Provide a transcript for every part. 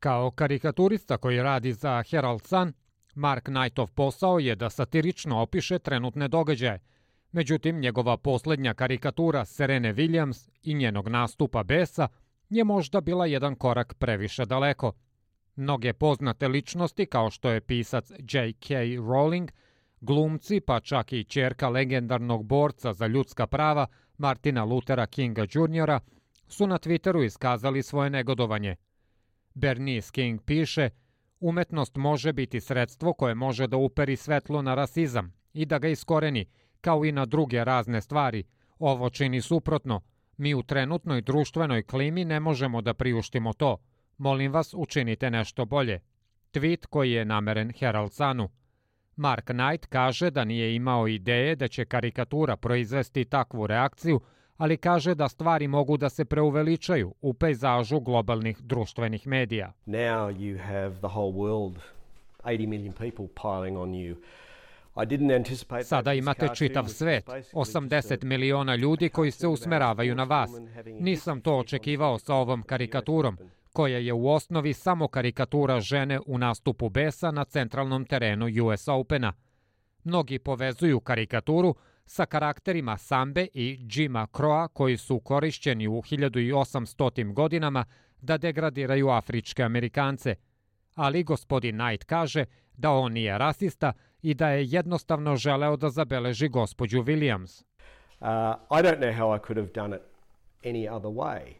Kao karikaturista koji radi za Herald Sun, Mark Knightov posao je da satirično opiše trenutne događaje. Međutim, njegova poslednja karikatura Serene Williams i njenog nastupa besa je možda bila jedan korak previše daleko. Mnoge poznate ličnosti, kao što je pisac J.K. Rowling, glumci, pa čak i ćerka legendarnog borca za ljudska prava Martina Luthera Kinga Jr. su na Twitteru iskazali svoje negodovanje. Bernice King piše: umetnost može biti sredstvo koje može da uperi svetlo na rasizam i da ga iskoreni, kao i na druge razne stvari. Ovo čini suprotno. Mi u trenutnoj društvenoj klimi ne možemo da priuštimo to. Molim vas, učinite nešto bolje. Tweet koji je nameren Herald Sunu. Mark Knight kaže da nije imao ideje da će karikatura proizvesti takvu reakciju, ali kaže da stvari mogu da se preuveličaju u pejzažu globalnih društvenih medija. Now you have the whole world, 80 million people piling on you. Sada imate čitav svet, 80 miliona ljudi koji se usmeravaju na vas. Nisam to očekivao sa ovom karikaturom, koja je u osnovi samo karikatura žene u nastupu besa na centralnom terenu US Opena. Mnogi povezuju karikaturu sa karakterima Sambe i Jima Croa koji su korišćeni u 1800. godinama da degradiraju afričke Amerikance. Ali gospodin Knight kaže da on nije rasista i da je jednostavno želeo da zabeleži gospođu Williams.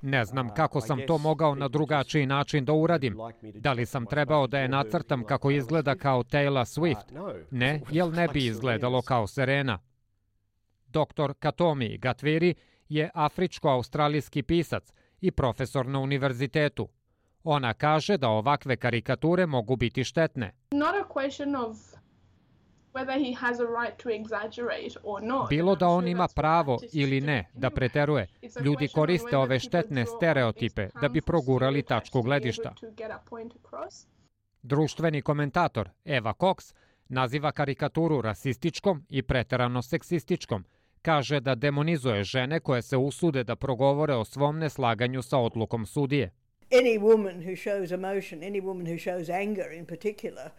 Ne znam kako sam to mogao na drugačiji način da uradim. Da li sam trebao da je nacrtam kako izgleda kao Taylor Swift? Ne, jer ne bi izgledalo kao Serena. Dr. Katomi Gatwiri je afričko-australijski pisac i profesor na univerzitetu. Ona kaže da ovakve karikature mogu biti štetne. Bilo da on ima pravo ili ne da preteruje, ljudi koriste ove štetne stereotipe da bi progurali tačku gledišta. Društveni komentator Eva Cox naziva karikaturu rasističkom i preterano seksističkom. Kaže da demonizuje žene koje se usude da progovore o svom neslaganju sa odlukom sudije. Any woman who shows emotion, any woman who shows anger in particular,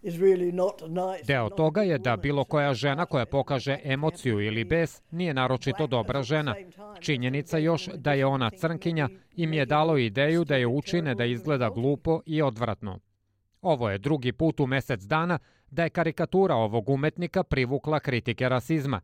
is really not nice. Deo toga je da bilo koja žena koja pokaže emociju ili bes nije naročito dobra žena. Činjenica još da je ona crnkinja im je dalo ideju da je učine da izgleda glupo i odvratno. Ovo je drugi put u mesec dana da je karikatura ovog umetnika privukla kritike rasizma.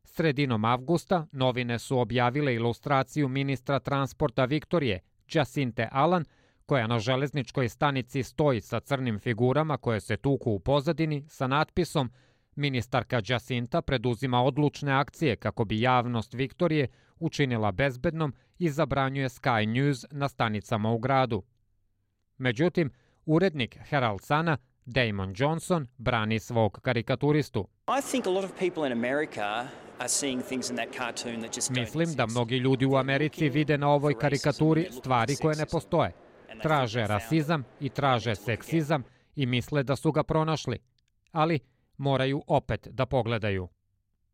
Sredinom avgusta novine su objavile ilustraciju ministra transporta Viktorije, Jacinte Allen, koja na železničkoj stanici stoji sa crnim figurama koje se tuku u pozadini sa natpisom "Ministarka Jacinta preduzima odlučne akcije kako bi javnost Viktorije učinila bezbednom i zabranjuje Sky News na stanicama u gradu." Međutim, urednik Herald Suna, Damon Johnson, brani svog karikaturistu. Mislim da mnogi ljudi u Americi vide na ovoj karikaturi stvari koje ne postoje. Traže rasizam i traže seksizam i misle da su ga pronašli. Ali moraju opet da pogledaju.